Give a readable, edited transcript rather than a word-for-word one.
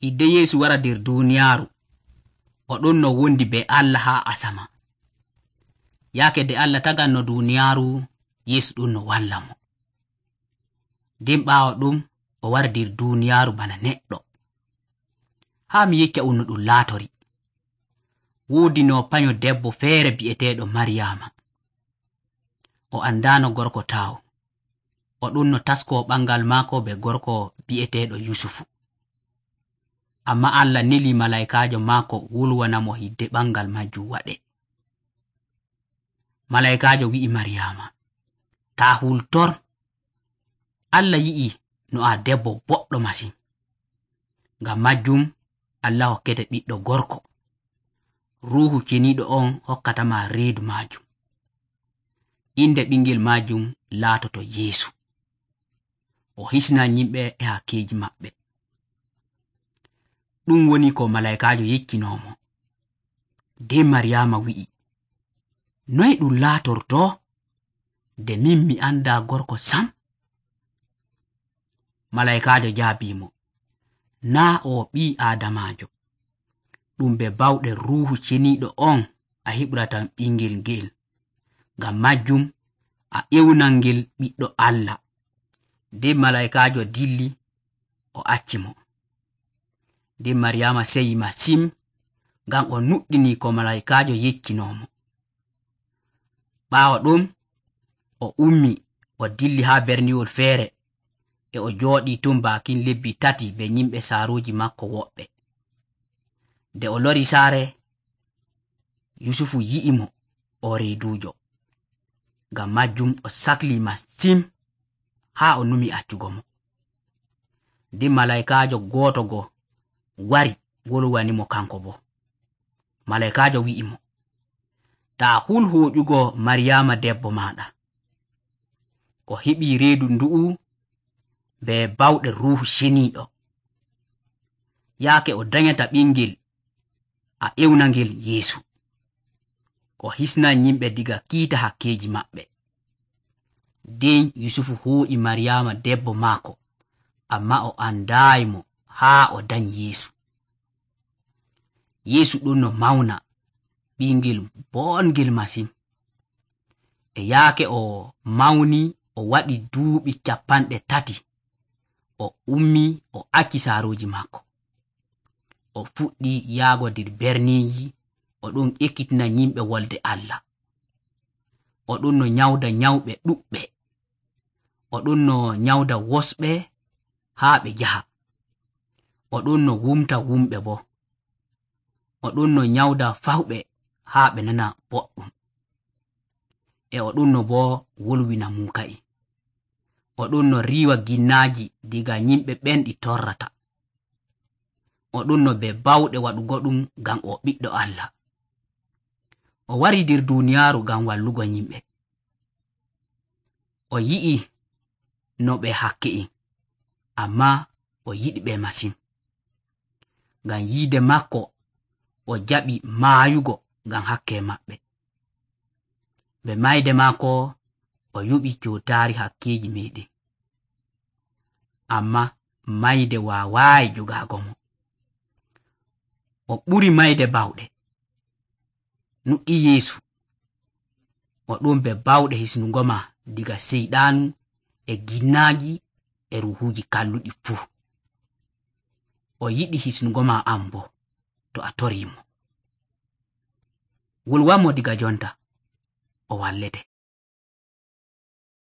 Idde Yeesu wara nder duuniyaaru, o ɗon no wondi be Allah haa asama. Yaake nde Allah taganno duuniyaaru, Yeesu ɗon no walla mo. Nden ɓaawo ɗum, o wari nder duuniyaaru bana neɗɗo. Haa mi yecca no ɗum laatori. Woodi no panyo debbo feere bi'eteeɗo Maryaama. O andaano gorko tawo. O ɗon no taskoo ɓangal maako be gorko bi'eteeɗo Yusufu. Amma Allah neli malaikaajo maako wolwana mo hidde ɓangal majjum waɗe. Malaikaajo wi'i Maryaama, taa hultor. Allah yi'i no a debbo boɗɗo masin. Ngam majjum Allah hokkete ɓiɗɗo gorko. Ruuhu ceniiɗo on hokkatama reedu majum. Inde ɓingel majum laatoto Yeesu. O hisnan yimɓe e hakkeeji maɓɓe. Ɗum woni ko malaikaajo yeccinomo. Nden Maryaama wi'i, noy ɗum laatorto? Nde min mi anda gorko sam. Malaikaajo jaabimo, naa o ɓii Aadamaajo. Ɗum be bawɗe Ruuhu Ceniiɗo on a heɓratan ɓingel ngel. Ngam majjum a ƴewnan ngel ɓiɗɗo Allah. Nden malaikaajo dilli, o acci mo. Nden Maryaama seyi masin, ngam o nuɗɗini ko malaikaajo yeccinomo. Ɓaawo ɗum, o ummi, o dilli haa berniwol feere, e o jooɗii ton baakin lebbi 3 be yimɓe saaruuji makko woɓɓe. Nde o lori saare, Yusufu yi'i mo o reeduujo. Ngam majjum o sakli masin haa o numi accugo mo. Nden malaikaajo gooto go wari wolwani mo kanko bo. Malaikaajo wi'i mo, taa hul hooƴugo Maryaama debbo maaɗa. O heɓii reedu ndu'u be bawɗe Ruuhu Ceniiɗo. Yaake o danyata ɓingel, a ƴewna ngel Yeesu. O hisnan yimɓe diga kiita hakkeeji maɓɓe. Nden Yusufu hooƴi Maryaama debbo maako, amma o andaayi mo haa o danyi Yeesu. Yeesu ɗon no mawna, ɓingel boongel masin. E yaake o mawni, o waɗi duuɓi 30. O ummi, o acci saaruuji maako. O fuɗɗi yaago nder berniiji, o ɗon ekkitina yimɓe wolde Allah. O ɗon no nyawda nyawɓe ɗuɓɓe. O ɗon no nyawda wosɓe haa ɓe njaha. O ɗon no wumta wumɓe bo. O ɗon no nyawda fawɓe haa ɓe nana boɗɗum. E o ɗon no bo wolwina muuka'e. O ɗon no riiwa ginnaaji diga yimɓe ɓen ɗi torrata. O ɗon no be bawɗe waɗugo ɗum ngam o ɓiɗɗo Allah. O wari nder duuniyaaru ngam wallugo yimɓe. O yi'i no ɓe hakke'en, amma o yiɗi ɓe masin. Ngam yiide makko, o jaɓi maayugo ngam hakke maɓɓe. Be mayde maako, o yuɓi cootaari hakkeeji meeɗen. Amma mayde waawaayi jogaago mo. O ɓuri mayde bawɗe. Nuɗɗi Yeesu. O ɗon be bawɗe hisnugo ma diga seyɗaanu e ginnaaji e ruuhuuji kalluɗi fuu. O yiɗi hisnugo ma an bo, to a toriimo. Wolwanmo diga jonta, o wallete.